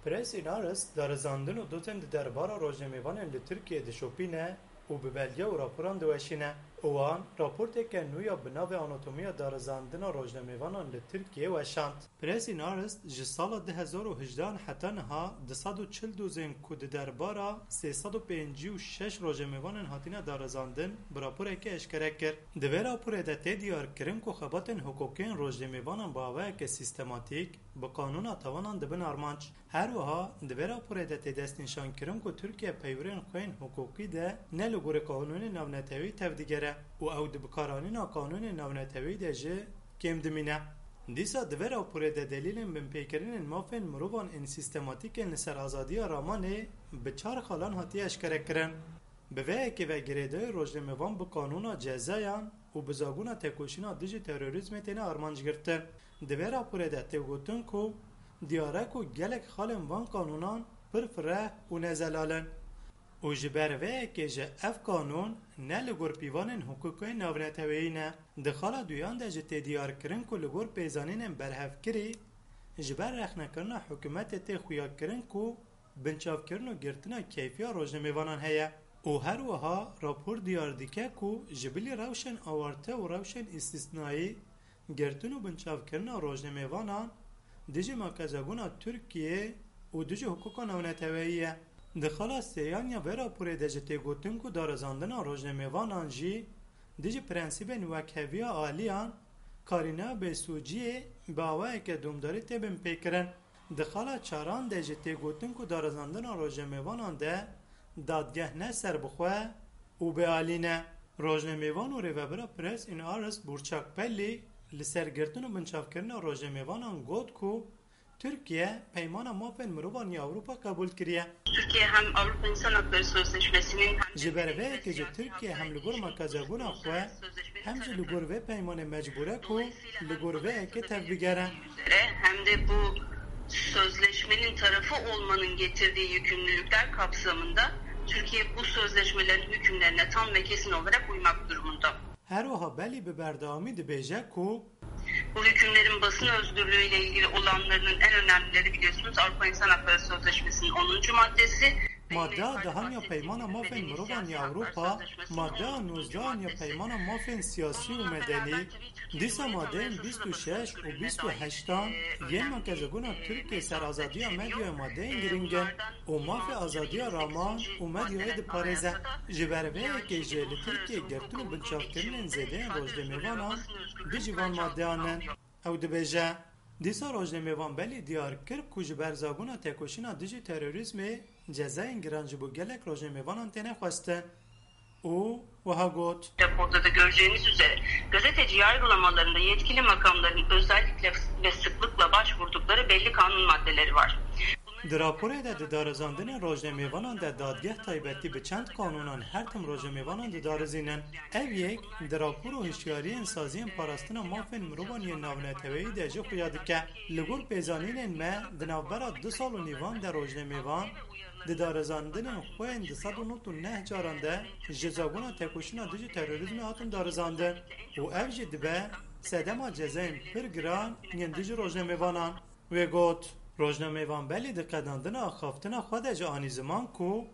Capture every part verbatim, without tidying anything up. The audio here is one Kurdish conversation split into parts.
Press Inaris darizandin û dozên di derbara rojnamevanên li Tirkiyeyê dişopîne û bi belge û raporan diweşîne. Wan raporteke nû ya bi navê Anatomiya Darizandina Rojnamevanan li Tirkiyeyê weşand. Press Inaris ji sala du hezar û hejdehan heta niha du sed û çil dozên ku di derbara sê sed û pêncî û şeş rojnamevanan hatine darizandin, bi raporeke eşkere kir. Di vê raporê de tê diyarkirin ku xebatên hiqûqî yên rojnamevanan bi awayeke sîstematîk bi qanûna tawanan dibin armanc. Her wiha di vê raporê de tê destnîşankirin ku Tirkiye peywirên xwe yên hiqûqî de ne li gorî qanûnên navneteweyî tevdigere û ew di bikaranîna qanûnên navneteweyî de jî kêm dimîne. Dîsa di vê raporê de delîlên binpêkirinên mafên mirovan ên sîstematîk ên li ser azadiya ramanê bi çar xalan hatiye eşkerekirin. Bi vê yekê ve girêdayî rojnamevan bi qanûna cezayan û bi zagona tekoşîna dijî terorîzmê têne armanc girtin. Di vê raporê de tê gotin ku diyar e ku gelek xalên van qanûnan pir fireh û nezelal in. Û ji ber vê yekê jî ev qanûn ne li gor pîvanên hiqûqê navneteweyî ne. Di xala duyan de jî tê diyarkirin ku li gor pêzanînên berhevkirî ji ber rexnekirina hikûmetê tê xuyakirin ku binçavkirin û girtina keyfiya rojnamevanan heye û her wiha rapor diyar dike ku ji bilî rewşên awarte û rewşên îstîsnayî girtin û binçavkirina rojnamevanan dijî makezagona Tirkiyê û dijî hiqûqa navneteweyî ye. Di xala sêyan ya vê raporê de jî tê gotin ku darizandina rojnamevanan jî dijî prensîbên wekheviya aliyan karîna bêsûciyê bi awayeke domdarî tê binpêkirin. Di xala çaran de jî tê gotin ku darizandina rojnamevanan de dadgeh ne serbixwe û bêalî ne. Rojnamevan û rêvebira Press Inaris Burçak Pellî li ser girtin û binçavkirina rojnamevanan got ku Tirkiye Peymana Mafên Mirovan ya Ewropa qebûl kiriye. Türkiye hem Avrupa İnsan Hakları Sözleşmesi'nin hem de Ji ber vê yekê jî Tirkiye hem li gor makezagona xwe hem jî li gor vê peymanê mecbûr e ku li gor vê yekê tevbigere. Üzere hem de bu sözleşmenin tarafı olmanın getirdiği yükümlülükler kapsamında Türkiye bu sözleşmelerin hükümlerine tam ve kesin olarak uymak durumunda. Her wiha Belî bi berdewamî dibêje ku Bu hükümlerin basın özgürlüğüyle ilgili olanlarının en önemlileri biliyorsunuz Avrupa İnsan Hakları Sözleşmesi'nin onuncu maddesi. Maddeya dehan ya Peymana Mafên Mirovan ya Ewropa, maddeya nozdehan ya Peymana Mafên Siyasî û Medenî, dîsa madeyên bîst û şeş û bîst û heştan yên makezagona Tirkiyê ser azadiya medyayê madeyên girîng in û mafê azadiya raman û medyayê diparêze. Ji ber vê yekê jî li Tirkiyê girtin û binçavkirinên zêdeyên rojnamevanan dijî van maddeyan in. Ew dibêje, dîsa rojnamevan Belî diyar kir ku ji ber zagona tekoşîna dijî terorîzmê cezayên giran ji bo gelek rojnamevanan têne xwestin û wiha got. Raporda da göreceğiniz üzere gazeteci yargılamalarında yetkili makamların özellikle ve sıklıkla başvurdukları belli kanun maddeleri var. Di raporê de di darizandinên rojnamevanan de dadgeh taybetî bi çend qanûnan her tim rojnamevanan didarizînin. Ev yek di rapor û hişyariyên saziyên parastina mafên mirovan yên navneteweyî de jî xuya dike. Li gor pêzanînên me di navbera du sal û nîvan de rojnamevan di darizandinên xwe yên du sed û nod û neh caran de ji zagona tekoşîna dijî terorîzmê hatin darizandin û ev jî dibe sedema cezayên pir giran yên dijî rojnamevanan. Wê got, rojnamevan Belî di qedandina axaftina xwe de jî anî ziman ku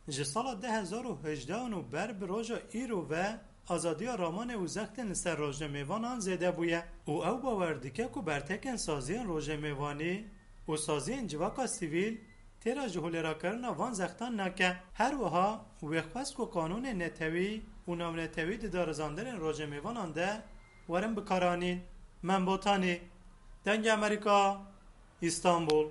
ji sala du hezar û hejdehan û ber bi roja îro ve azadiya ramanê û zextên li ser rojnamevanan zêde bûye û ew bawer dike ku bertekên saziyên rojnamevanî û saziyên civaka sivîl têra ji holêrakirina van zextan nake. Her wiha wê xwest ku qanûnên netewî û navnetewî di darizandinên rojnamevanan de werin bikaranîn. Mem Botanî, Dengê Amerîka, Îstanbul.